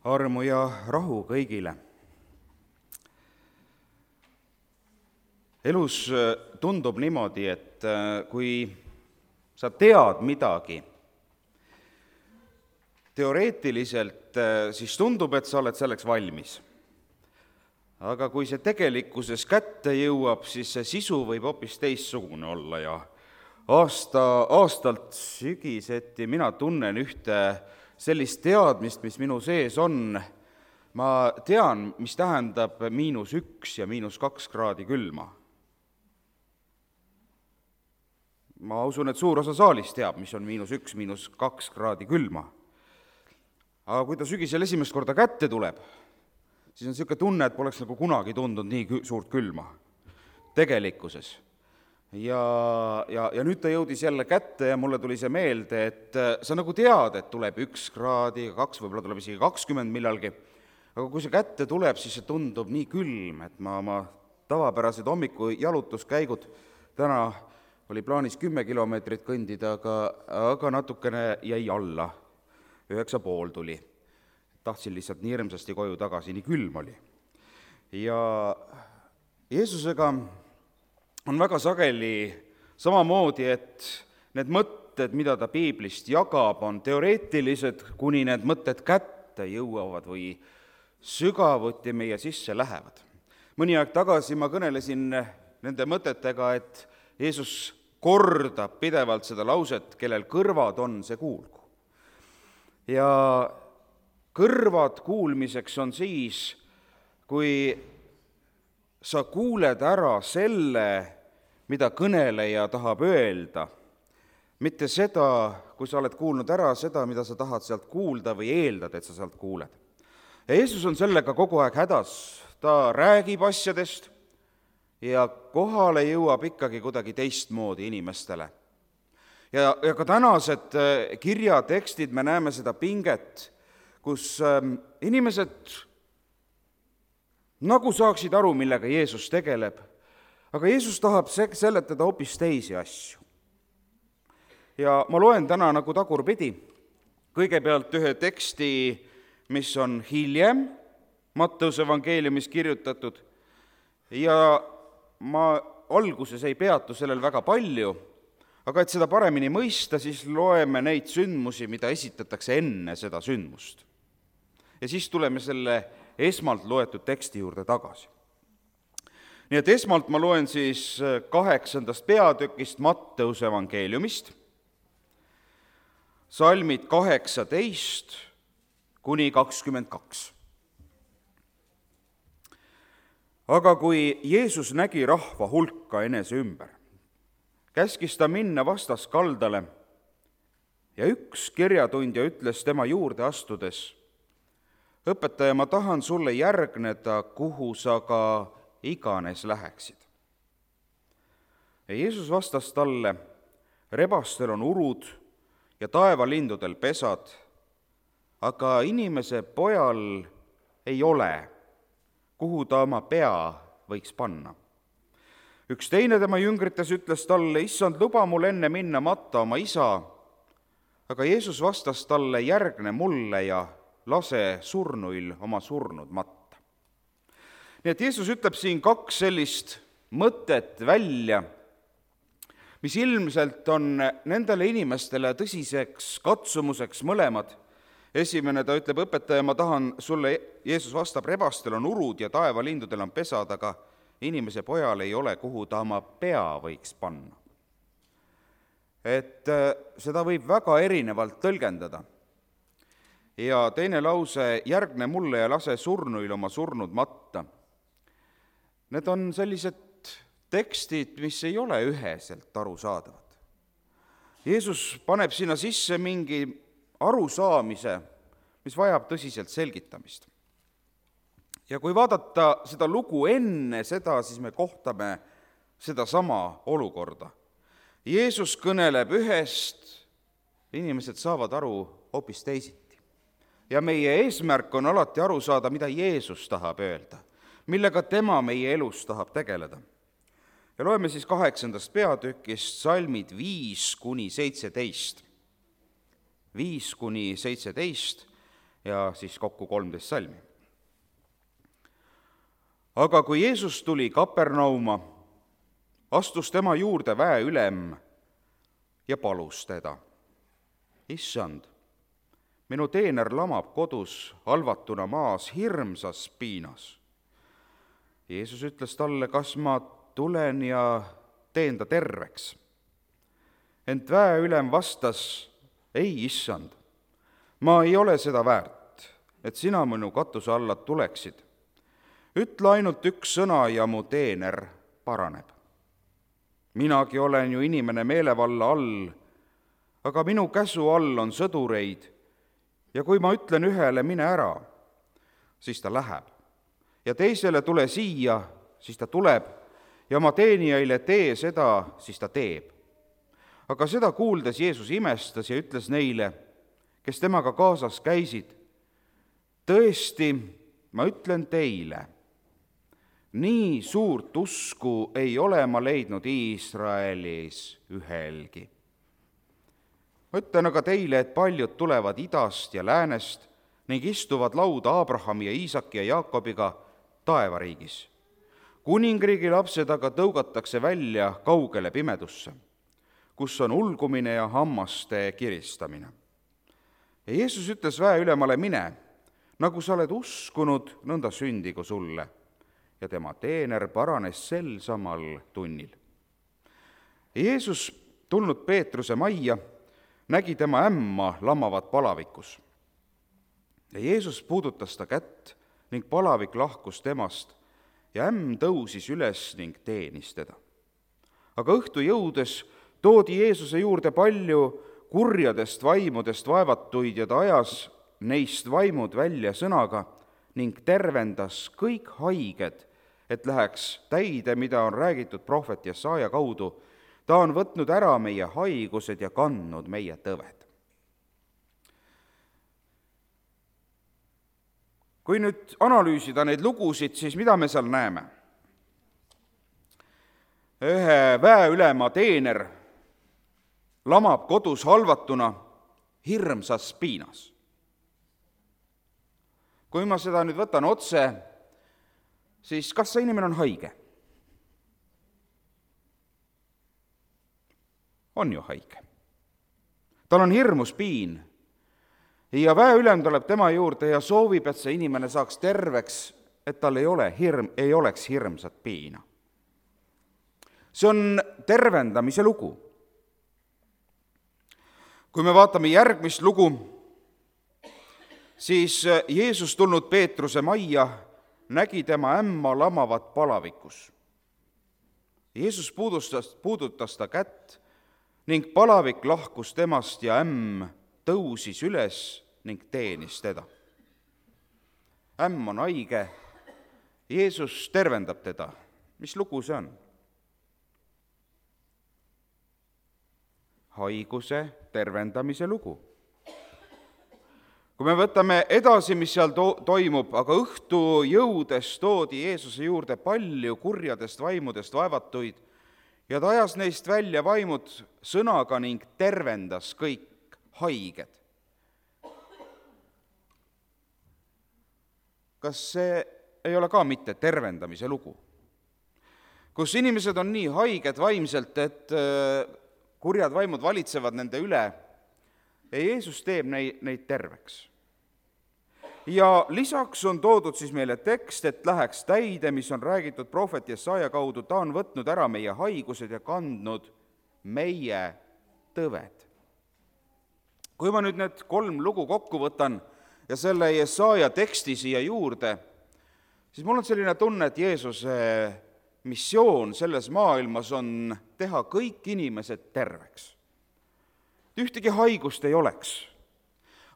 Armu ja rahu kõigile. Elus tundub niimoodi, et kui sa tead midagi, teoreetiliselt siis tundub, et sa oled selleks valmis. Aga kui see tegelikkuses kätte jõuab, siis see sisu võib hoopis teistsugune olla ja aastalt sügiseti mina tunnen ühte sellist teadmist, mis minu sees on. Ma tean, mis tähendab -1 ja -2 kraadi külma. Ma usun, et suur osa saalist teab, mis on -1, -2 kraadi külma. Aga kui ta sügisel esimest korda kätte tuleb, siis on niisugune tunne, et poleks nagu kunagi tundunud nii suurt külma tegelikkuses. Ja nüüd ta jõudis jälle kätte ja mulle tuli see meelde, et sa nagu tead, et tuleb 1 kraadi, 2, võib-olla tuleb isegi 20 millalgi, aga kui see kätte tuleb, siis see tundub nii külm, et ma oma tavapärased hommiku jalutuskäigud, täna oli plaanis 10 kilomeetrit kõndida, aga natukene jäi alla, 9,5 tuli. Tahtsin lihtsalt nii hirmsasti koju tagasi, nii külm oli. Ja Jeesusega on väga sageli samamoodi, et need mõtted, mida ta piiblist jagab, on teoreetilised, kuni need mõtted kätte jõuavad või sügavuti meie sisse lähevad. Mõni aeg tagasi ma kõnelesin nende mõtetega, et Jeesus kordab pidevalt seda lauset, kellel kõrvad on, see kuulgu. Ja kõrvad kuulmiseks on siis, kui sa kuuled ära selle, mida kõneleja tahab öelda, mitte seda, kui sa oled kuulnud ära seda, mida sa tahad sealt kuulda või eeldad, et sa sealt kuuled. Ja Jeesus on sellega kogu aeg hädas, ta räägib asjadest ja kohale jõuab ikkagi kuidagi teistmoodi inimestele. Ja ka tänased kirjatekstid, me näeme seda pinget, kus inimesed nagu saaksid aru, millega Jeesus tegeleb, aga Jeesus tahab seletada hoopis teisi asju. Ja ma loen täna nagu tagurpidi, kõigepealt ühe teksti, mis on hiljem Matteuse evangeeliumis kirjutatud, ja ma alguses ei peatu sellel väga palju, aga et seda paremini mõista, siis loeme neid sündmusi, mida esitatakse enne seda sündmust. Ja siis tuleme selle esmalt loetud teksti juurde tagasi. Nii et esmalt ma loen siis 8. peatükist Matteuse evangeeliumist, salmid 18 kuni 22. Aga kui Jeesus nägi rahva hulka enese ümber, käskis ta minna vastaskaldale ja üks kirjatundja ütles tema juurde astudes: õpetaja, ma tahan sulle järgneda, kuhu sa ka iganes läheksid. Ja Jeesus vastas talle: rebastel on urud ja taevalindudel pesad, aga inimese pojal ei ole, kuhu ta oma pea võiks panna. Üks teine tema jüngrites ütles talle: issand, luba mul enne minna matta oma isa. Aga Jeesus vastas talle: järgne mulle ja lase surnuil oma surnud matta. Nii et Jeesus ütleb siin 2 sellist mõtet välja, mis ilmselt on nendele inimestele tõsiseks katsumuseks mõlemad. Esimene, ta ütleb: õpetaja, ma tahan sulle, Jeesus vastab, rebastel on urud ja taevalindudel on pesad, aga inimese pojal ei ole, kuhu ta oma pea võiks panna. Et seda võib väga erinevalt tõlgendada. Ja teine lause: järgne mulle ja lase surnuil oma surnud matta. Need on sellised tekstid, mis ei ole üheselt arusaadavad. Jeesus paneb sinna sisse mingi arusaamise, mis vajab tõsiselt selgitamist. Ja kui vaadata seda lugu enne seda, siis me kohtame sedasama olukorda. Jeesus kõneleb ühest, inimesed saavad aru hoopis teisiti. Ja meie eesmärk on alati aru saada, mida Jeesus tahab öelda, millega tema meie elus tahab tegeleda. Ja loeme siis 8. peatükist salmid 5 kuni 17. 5 kuni 17 ja siis kokku 13 salmi. Aga kui Jeesus tuli Kapernauma, astus tema juurde väeülem ja palus teda: Issand, minu teener lamab kodus halvatuna maas hirmsas piinas. Jeesus ütles talle: kas ma tulen ja teen ta terveks? Ent väeülem vastas: ei, issand, ma ei ole seda väärt, et sina minu katuse alla tuleksid. Ütle ainult üks sõna ja mu teener paraneb. Minagi olen ju inimene meelevalla all, aga minu käsu all on sõdureid ja kui ma ütlen ühele, mine ära, siis ta läheb. Ja teisele, tule siia, siis ta tuleb ja oma teenijaile, tee seda, siis ta teeb. Aga seda kuuldes Jeesus imestas ja ütles neile, kes temaga kaasas käisid: tõesti, ma ütlen teile, nii suurt usku ei ole ma leidnud Iisraelis ühelgi. Ma ütlen aga teile, et paljud tulevad idast ja läänest ning istuvad lauda Abrahami ja Iisaki ja Jaakobiga taevariigis. Kuningriigi lapsed aga tõugatakse välja kaugele pimedusse, kus on ulgumine ja hammaste kiristamine. Ja Jeesus ütles väeülemale: mine, nagu sa oled uskunud, nõnda sündigu sulle. Ja tema teener paranes sel samal tunnil. Jeesus, tulnud Peetruse majja, nägi tema ämma lamavat palavikus. Ja Jeesus puudutas ta kätt ning palavik lahkus temast ja ämm tõusis üles ning teenis teda. Aga õhtu jõudes toodi Jeesuse juurde palju kurjadest vaimudest vaevatuid ja ta ajas neist vaimud välja sõnaga ning tervendas kõik haiged, et läheks täide, mida on räägitud prohvet Jesaja kaudu. Ta on võtnud ära meie haigused ja kandnud meie tõved. Kui nüüd analüüsida neid lugusid, siis mida me seal näeme? Ühe väeülema teener lamab kodus halvatuna hirmsas piinas. Kui ma seda nüüd võtan otse, siis kas see inimene on haige? On ju haige. Tal on hirmus piin ja väeülem tuleb tema juurde ja soovib, et see inimene saaks terveks, et tal ei oleks hirmsat piina. See on tervendamise lugu. Kui me vaatame järgmist lugu, siis Jeesus tulnud Peetruse majja nägi tema ämma lamavat palavikus. Jeesus puudutas ta kätt ning palavik lahkus temast ja ämm tõusis üles ning teenis teda. Ämm on haige, Jeesus tervendab teda. Mis lugu see on? Haiguse tervendamise lugu. Kui me võtame edasi, mis seal toimub, aga õhtu jõudes toodi Jeesuse juurde palju kurjadest vaimudest vaevatuid ja ta ajas neist välja vaimud sõnaga ning tervendas kõik haiged. Kas see ei ole ka mitte tervendamise lugu? Kus inimesed on nii haiged vaimselt, et kurjad vaimud valitsevad nende üle, ja Jeesus teeb neid terveks. Ja lisaks on toodud siis meile tekst, et läheks täide, mis on räägitud prohvet Jesaja kaudu, ta on võtnud ära meie haigused ja kandnud meie tõved. Kui ma nüüd need 3 lugu kokku võtan ja selle Jesaja teksti siia juurde, siis mul on selline tunne, et Jeesuse missioon selles maailmas on teha kõik inimesed terveks. Ühtegi haigust ei oleks.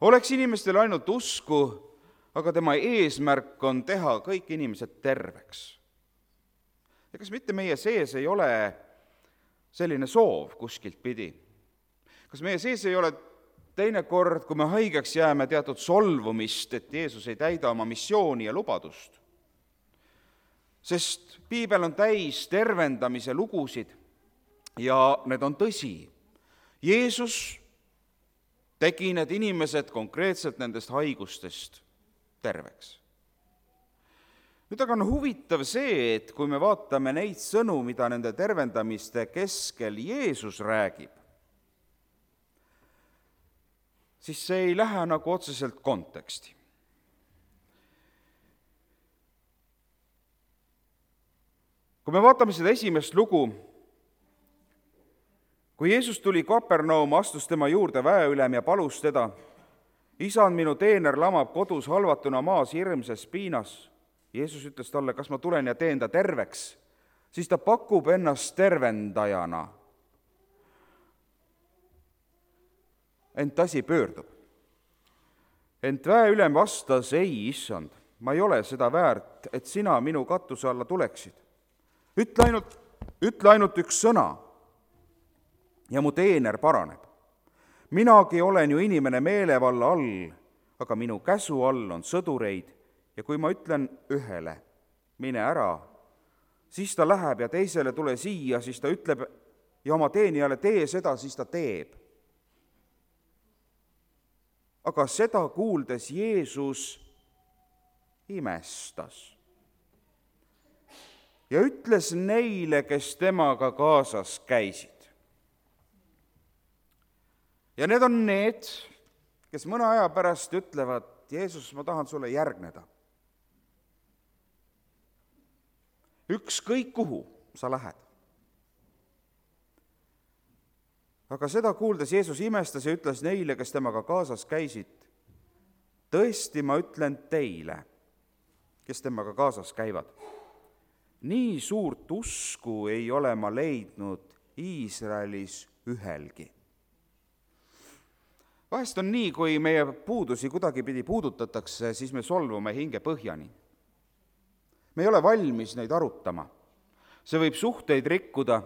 Oleks inimestel ainult usku, aga tema eesmärk on teha kõik inimesed terveks. Ja kas mitte meie sees ei ole selline soov kuskilt pidi? Kas meie sees ei ole teinekord, kui me haigeks jääme, teatud solvumist, et Jeesus ei täida oma missiooni ja lubadust? Sest piibel on täis tervendamise lugusid ja need on tõsi. Jeesus tegi need inimesed konkreetselt nendest haigustest terveks. Nüüd aga on huvitav see, et kui me vaatame neid sõnu, mida nende tervendamiste keskel Jeesus räägib, siis see ei lähe nagu otseselt konteksti. Kui me vaatame seda esimest lugu, kui Jeesus tuli Kapernaum, astus tema juurde väeülem ja palus teda, isand, minu teener lamab kodus halvatuna maas hirmsas piinas. Jeesus ütles talle, kas ma tulen ja teen ta terveks, siis ta pakub ennast tervendajana. Ent asi pöördub. Ent väeülem vastas, ei, issand, ma ei ole seda väärt, et sina minu katuse alla tuleksid. Ütle ainult üks sõna ja mu teener paraneb. Minagi olen ju inimene meelevalla all, aga minu käsu all on sõdureid ja kui ma ütlen ühele, mine ära, siis ta läheb ja teisele tule siia, siis ta ütleb ja oma teenijale tee seda, siis ta teeb. Aga seda kuuldes Jeesus imestas ja ütles neile, kes temaga kaasas käisid. Ja need on need, kes mõne aja pärast ütlevad, Jeesus, ma tahan sulle järgneda. Ükskõik kuhu sa lähed. Aga seda kuuldes Jeesus imestas ja ütles neile, kes temaga kaasas käisid, tõesti ma ütlen teile, kes temaga kaasas käivad, nii suurt usku ei ole ma leidnud Iisraelis ühelgi. Vahest on nii, kui meie puudusi kuidagipidi puudutatakse, siis me solvume hinge põhjani. Me ei ole valmis neid arutama. See võib suhteid rikkuda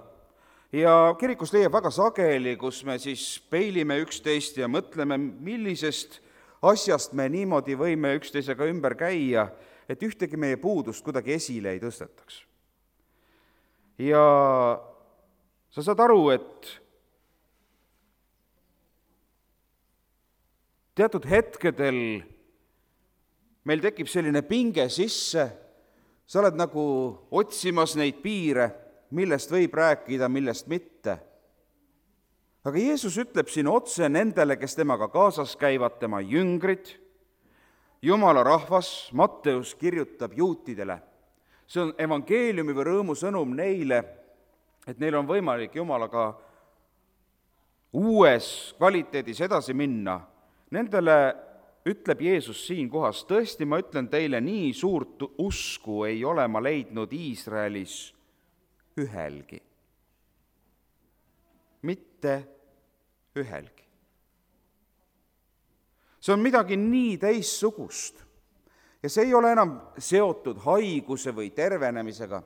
ja kirikus leiab väga sageli, kus me siis peilime üksteist ja mõtleme, millisest asjast me niimoodi võime üksteisega ümber käia, et ühtegi meie puudust kuidagi esile ei tõstetaks. Ja sa saad aru, et teatud hetkedel meil tekib selline pinge sisse, sa oled nagu otsimas neid piire, millest võib rääkida, millest mitte. Aga Jeesus ütleb siin otse nendele, kes temaga kaasas käivad, tema jüngrid, Jumala rahvas, Matteus kirjutab juutidele. See on evangeeliumi või rõõmu sõnum neile, et neil on võimalik Jumalaga uues kvaliteedis edasi minna. Nendele ütleb Jeesus siin kohas, tõesti ma ütlen teile, nii suurt usku ei ole ma leidnud Iisraelis ühelgi. Mitte ühelgi. See on midagi nii teissugust ja see ei ole enam seotud haiguse või tervenemisega,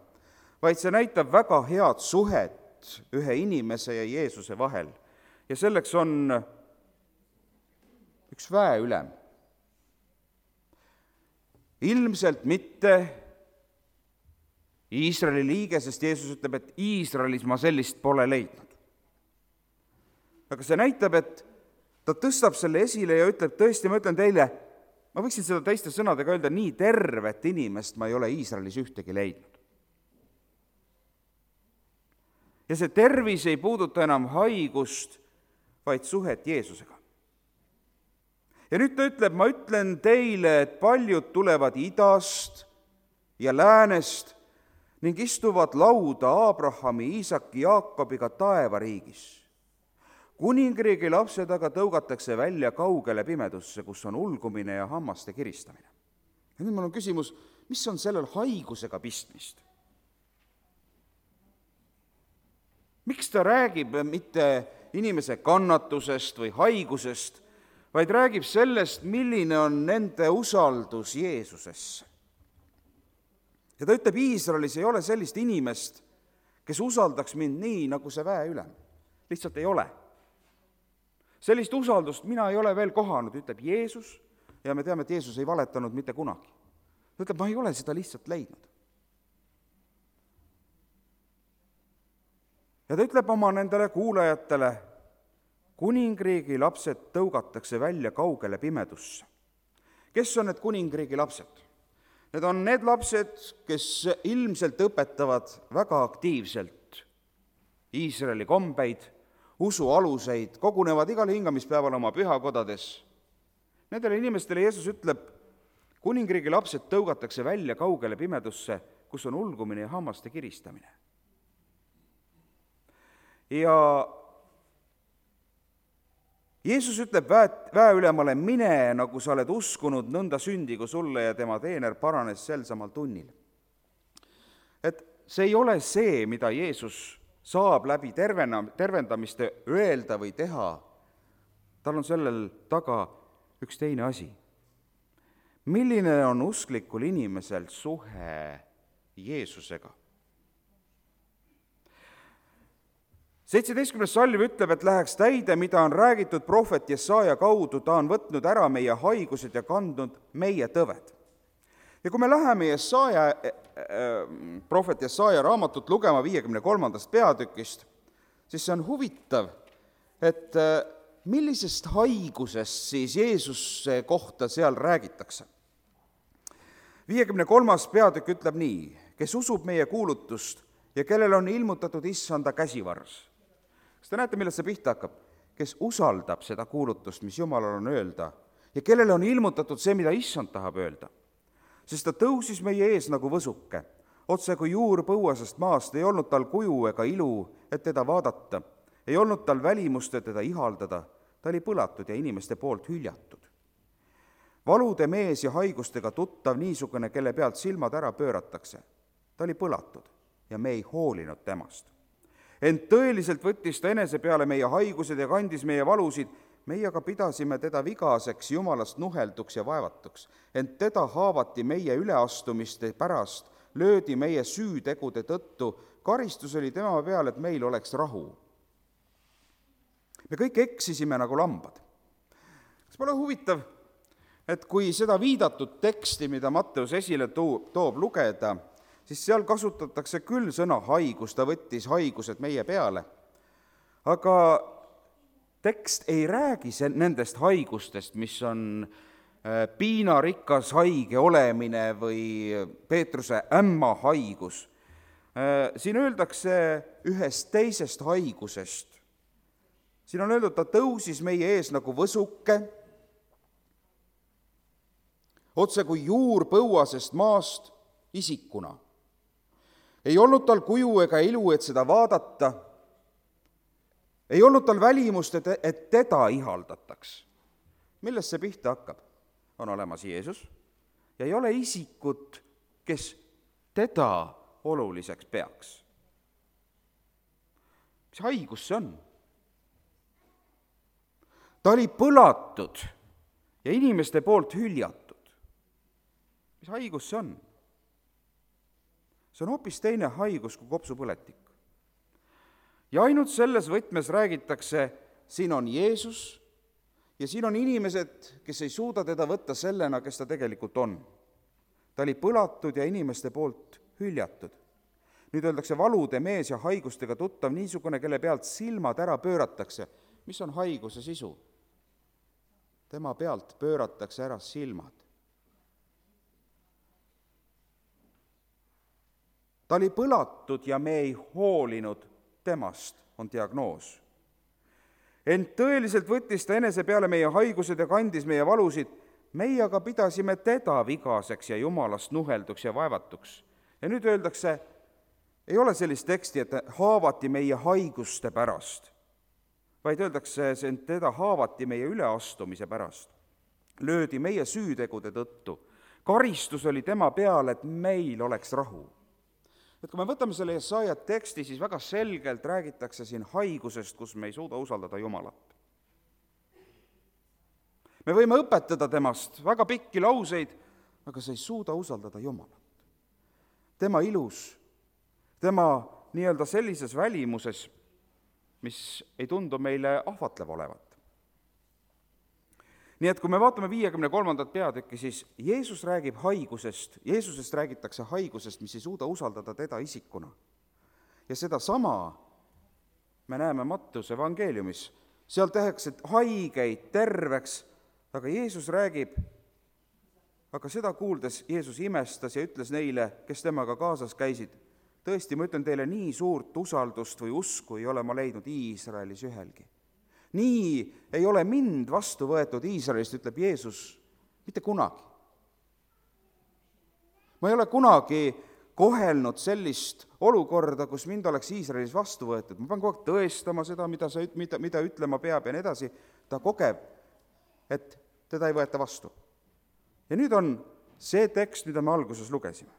vaid see näitab väga head suhet ühe inimese ja Jeesuse vahel. Ja selleks on üks väeülem. Ilmselt mitte Iisraeli liige, sest Jeesus ütleb, et Iisraelis ma sellist pole leidnud. Aga see näitab, et ta tõstab selle esile ja ütleb, tõesti, ma ütlen teile, ma võiksin seda teiste sõnadega öelda, nii tervet inimest ma ei ole Iisraelis ühtegi leidnud. Ja see tervis ei puuduta enam haigust, vaid suhet Jeesusega. Ja nüüd ta ütleb, ma ütlen teile, et paljud tulevad idast ja läänest ning istuvad lauda Abrahami, Iisaki, Jaakobiga taevariigis. Kuningriigi lapsed aga tõugatakse välja kaugele pimedusse, kus on ulgumine ja hammaste kiristamine. Ja nüüd mul on küsimus, mis on sellel haigusega pistmist? Miks ta räägib mitte inimese kannatusest või haigusest, vaid räägib sellest, milline on nende usaldus Jeesusesse? Ja ta ütleb, Iisraelis ei ole sellist inimest, kes usaldaks mind nii, nagu see väeülem. Lihtsalt ei ole. Sellist usaldust mina ei ole veel kohanud, ütleb Jeesus, ja me teame, et Jeesus ei valetanud mitte kunagi. Ta ütleb, ma ei ole seda lihtsalt leidnud. Ja ta ütleb oma nendele kuulajatele, kuningriigi lapsed tõugatakse välja kaugele pimedusse. Kes on need kuningriigi lapsed? Need on need lapsed, kes ilmselt õpetavad väga aktiivselt Iisraeli kombeid, usualuseid, kogunevad igal hingamispäeval oma pühakodades. Nendele inimestele Jeesus ütleb, kuningriigi lapsed tõugatakse välja kaugele pimedusse, kus on ulgumine ja hammaste kiristamine. Ja Jeesus ütleb väeülemale, mine, nagu sa oled uskunud, nõnda sündigu sulle, ja tema teener paranes sel samal tunnil. Et see ei ole see, mida Jeesus saab läbi tervendamiste öelda või teha. Tal on sellel taga üks teine asi. Milline on usklikul inimesel suhe Jeesusega? 17. salm ütleb, et läheks täide, mida on räägitud prohvet Jesaja kaudu, ta on võtnud ära meie haigused ja kandnud meie tõved. Ja kui me läheme prohvet Jesaja raamatut lugema 53. peatükist, siis see on huvitav, et millisest haigusest siis Jeesuse kohta seal räägitakse. 53. peatükk ütleb nii, kes usub meie kuulutust ja kellel on ilmutatud issanda käsivarus. Kas te näete, millest see pihta hakkab? Kes usaldab seda kuulutust, mis Jumalal on öelda, ja kellele on ilmutatud see, mida issand tahab öelda. Sest ta tõusis meie ees nagu võsuke, otse kui juur põuasest maast, ei olnud tal kuju ega ilu, et teda vaadata, ei olnud tal välimust, et teda ihaldada, ta oli põlatud ja inimeste poolt hüljatud. Valude mees ja haigustega tuttav niisugune, kelle pealt silmad ära pööratakse. Ta oli põlatud ja me ei hoolinud temast. Ent tõeliselt võttis ta enese peale meie haigused ja kandis meie valusid, meie aga pidasime teda vigaseks, Jumalast nuhelduks ja vaevatuks. Ent teda haavati meie üleastumiste pärast, löödi meie süütegude tõttu, karistus oli tema peal, et meil oleks rahu. Me kõik eksisime nagu lambad. Kas pole huvitav, et kui seda viidatud teksti, mida Matteus esile toob lugeda, siis seal kasutatakse küll sõna haigus, ta võttis haigused meie peale, aga tekst ei räägi nendest haigustest, mis on piinarikas haige olemine või Peetruse ämma haigus. Siin öeldakse ühest teisest haigusest. Siin on öeldud, ta tõusis meie ees nagu võsuke, otse kui juur põuasest maast isikuna. Ei olnud tal kuju ega ilu, et seda vaadata. Ei olnud tal välimust, et teda ihaldataks. Millest see pihta hakkab? On olemas Jeesus ja ei ole isikut, kes teda oluliseks peaks. Mis haigus see on? Ta oli põlatud ja inimeste poolt hüljatud. Mis haigus see on? See on hoopis teine haigus kui kopsupõletik. Ja ainult selles võtmes räägitakse, siin on Jeesus ja siin on inimesed, kes ei suuda teda võtta sellena, kes ta tegelikult on. Ta oli põlatud ja inimeste poolt hüljatud. Nüüd öeldakse valude mees ja haigustega tuttav niisugune, kelle pealt silmad ära pööratakse. Mis on haiguse sisu? Tema pealt pööratakse ära silmad. Ta oli põlatud ja me ei hoolinud temast, on diagnoos. Ent tõeliselt võttis ta enese peale meie haigused ja kandis meie valusid, meie aga pidasime teda vigaseks ja Jumalast nuhelduks ja vaevatuks. Ja nüüd öeldakse, ei ole sellist teksti, et haavati meie haiguste pärast, vaid öeldakse, et teda haavati meie üleastumise pärast. Löödi meie süütegude tõttu. Karistus oli tema peal, et meil oleks rahu. Et kui me võtame selle Jesaja teksti, siis väga selgelt räägitakse siin haigusest, kus me ei suuda usaldada Jumalat. Me võime õpetada temast väga pikki lauseid, aga sa ei suuda usaldada Jumalat. Tema ilus, tema nii-öelda sellises välimuses, mis ei tundu meile ahvatlev olevat. Nii et kui me vaatame 53. peatükki, siis Jeesus räägib haigusest, Jeesusest räägitakse haigusest, mis ei suuda usaldada teda isikuna. Ja seda sama me näeme Matteuse evangeeliumis, seal tehakse haigeid terveks, aga Jeesus räägib, aga seda kuuldes Jeesus imestas ja ütles neile, kes temaga kaasas käisid, tõesti, ma ütlen teile, nii suurt usaldust või usku ei ole ma leidnud Iisraelis ühelgi. Nii ei ole mind vastu võetud Iisraelist, ütleb Jeesus, mitte kunagi. Ma ei ole kunagi kohelnud sellist olukorda, kus mind oleks Iisraelis vastu võetud. Ma pean kogu aeg tõestama seda, mida ütlema peab ja nii edasi. Ta kogeb, et teda ei võeta vastu. Ja nüüd on see tekst, mida me alguses lugesime.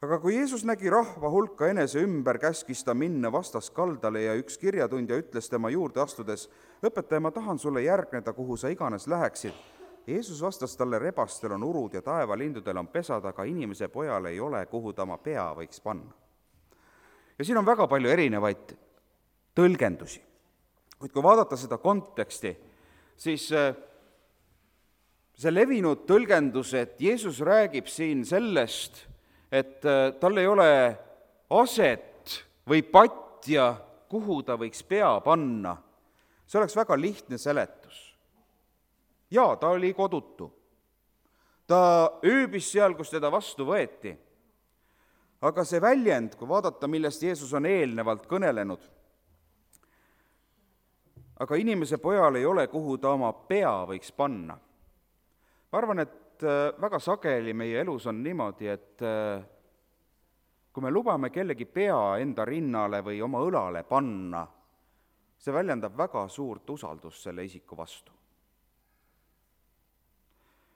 Aga kui Jeesus nägi rahva hulka enese ümber, käskis ta minna vastaskaldale ja üks kirjatundja ütles tema juurde astudes, õpetaja, ma tahan sulle järgneda, kuhu sa iganes läheksid. Jeesus vastas talle, rebastel on urud ja taevalindudel on pesad, aga inimese pojal ei ole, kuhu ta oma pea võiks panna. Ja siin on väga palju erinevaid tõlgendusi. Kuid kui vaadata seda konteksti, siis see levinud tõlgendus, et Jeesus räägib siin sellest, et tal ei ole aset või patja, kuhu ta võiks pea panna. See oleks väga lihtne seletus. Jaa, ta oli kodutu. Ta ööbis seal, kus teda vastu võeti. Aga see väljend, kui vaadata, millest Jeesus on eelnevalt kõnelenud, aga inimese pojal ei ole, kuhu ta oma pea võiks panna. Ma arvan, et väga sageli meie elus on niimoodi, et kui me lubame kellegi pea enda rinnale või oma õlale panna, see väljendab väga suurt usaldust selle isiku vastu.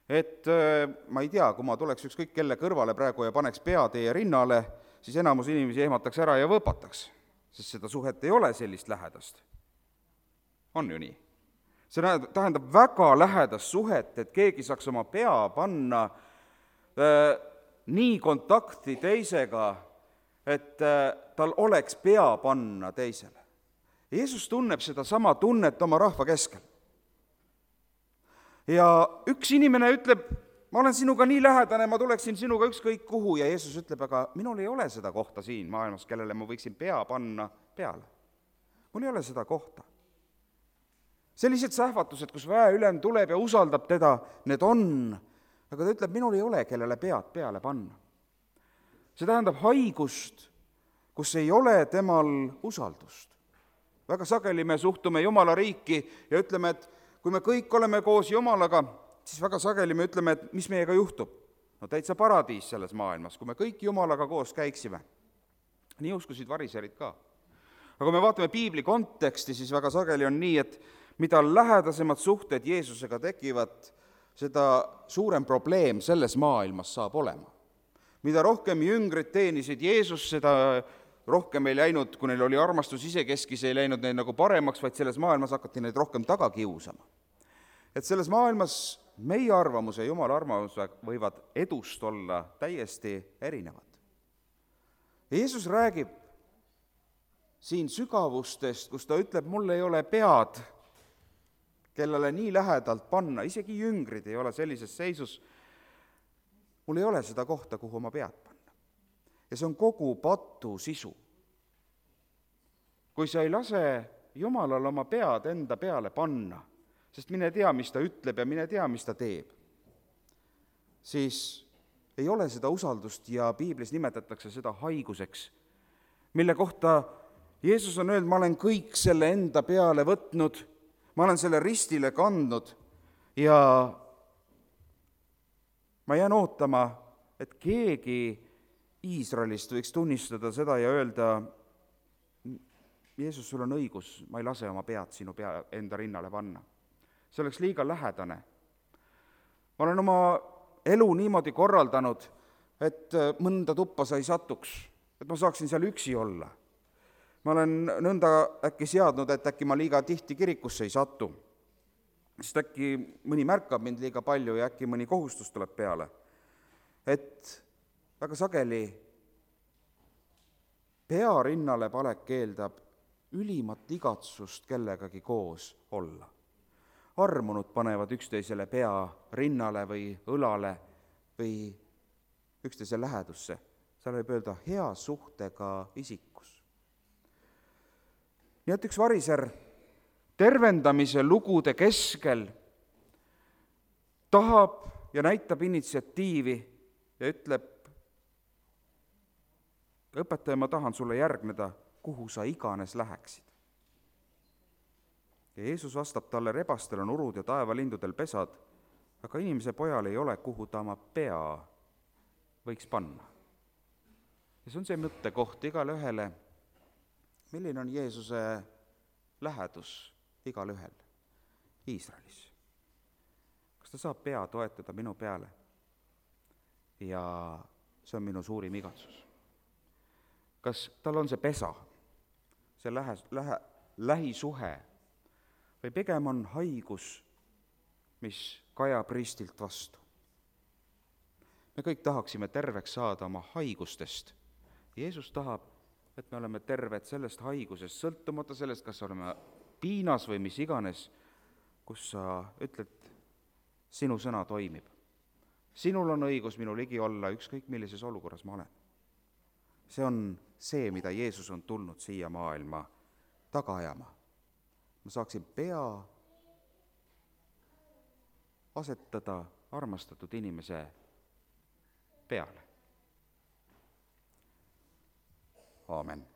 Et ma ei tea, kui ma tuleks ükskõik kelle kõrvale praegu ja paneks pea teie rinnale, siis enamus inimesi ehmataks ära ja võpataks, sest seda suhet ei ole sellist lähedast. On ju nii? See tähendab väga lähedast suhet, et keegi saaks oma pea panna nii kontakti teisega, et tal oleks pea panna teisele. Jeesus tunneb seda sama tunnet oma rahva keskel. Ja üks inimene ütleb, ma olen sinuga nii lähedane, ma tuleksin sinuga ükskõik kuhu, ja Jeesus ütleb, aga minul ei ole seda kohta siin maailmas, kellele ma võiksin pea panna peale. Mul ei ole seda kohta. Sellised sähvatused, kus väeülem tuleb ja usaldab teda, need on, aga ta ütleb, minul ei ole, kellele pead peale panna. See tähendab haigust, kus ei ole temal usaldust. Väga sageli me suhtume Jumala riiki ja ütleme, et kui me kõik oleme koos Jumalaga, siis väga sageli me ütleme, et mis meiega juhtub. No täitsa paradiis selles maailmas, kui me kõik Jumalaga koos käiksime. Nii uskusid variserid ka. Aga kui me vaatame piibli konteksti, siis väga sageli on nii, et mida lähedasemad suhted Jeesusega tekivad, seda suurem probleem selles maailmas saab olema. Mida rohkem jüngrid teenisid Jeesus, seda rohkem ei läinud, kui neil oli armastus isekeskis, ei läinud neil nagu paremaks, vaid selles maailmas hakati neid rohkem taga kiusama. Et selles maailmas meie arvamus ja Jumala arvamus võivad edust olla täiesti erinevad. Jeesus räägib siin sügavustest, kus ta ütleb, mul ei ole pead, kellele nii lähedalt panna, isegi jüngrid ei ole sellises seisus, mul ei ole seda kohta, kuhu oma pead panna. Ja see on kogu patu sisu. Kui sa ei lase Jumalal oma pead enda peale panna, sest mine tea, mis ta ütleb ja mine tea, mis ta teeb, siis ei ole seda usaldust ja piiblis nimetatakse seda haiguseks, mille kohta Jeesus on öelnud, ma olen kõik selle enda peale võtnud, ma olen selle ristile kandnud ja ma jään ootama, et keegi Iisraelist võiks tunnistada seda ja öelda, Jeesus, sul on õigus, ma ei lase oma pead sinu enda rinnale panna. See oleks liiga lähedane. Ma olen oma elu niimoodi korraldanud, et mõnda tuppa sa ei satuks, et ma saaksin seal üksi olla. Ma olen nõnda äkki seadnud, et äkki ma liiga tihti kirikusse ei satu, sest äkki mõni märkab mind liiga palju ja äkki mõni kohustus tuleb peale. Et väga sageli pea rinnale panek eeldab ülimat igatsust kellegagi koos olla. Armunud panevad üksteisele pea rinnale või õlale või üksteise lähedusse. Seal võib öelda hea suhtega isikus. Nii et üks variser tervendamise lugude keskel tahab ja näitab initsiatiivi ja ütleb, õpetaja, ma tahan sulle järgneda, kuhu sa iganes läheksid. Ja Jeesus vastab talle, rebastel on urud ja taevalindudel pesad, aga inimese pojal ei ole, kuhu ta oma pea võiks panna. Ja see on see mõttekoht igale ühele, milline on Jeesuse lähedus igale ühel Iisraelis. Kas ta saab pea toetada minu peale? Ja see on minu suurim igatsus. Kas tal on see pesa, see lähisuhe, või pigem on haigus, mis kajab ristilt vastu? Me kõik tahaksime terveks saada oma haigustest. Jeesus tahab, et me oleme terved sellest haigusest, sõltumata sellest, kas oleme piinas või mis iganes, kus sa ütled, sinu sõna toimib. Sinul on õigus minu ligi olla, ükskõik millises olukorras ma olen. See on see, mida Jeesus on tulnud siia maailma taga ajama. Ma saaksin pea asetada armastatud inimese peale. Aamen.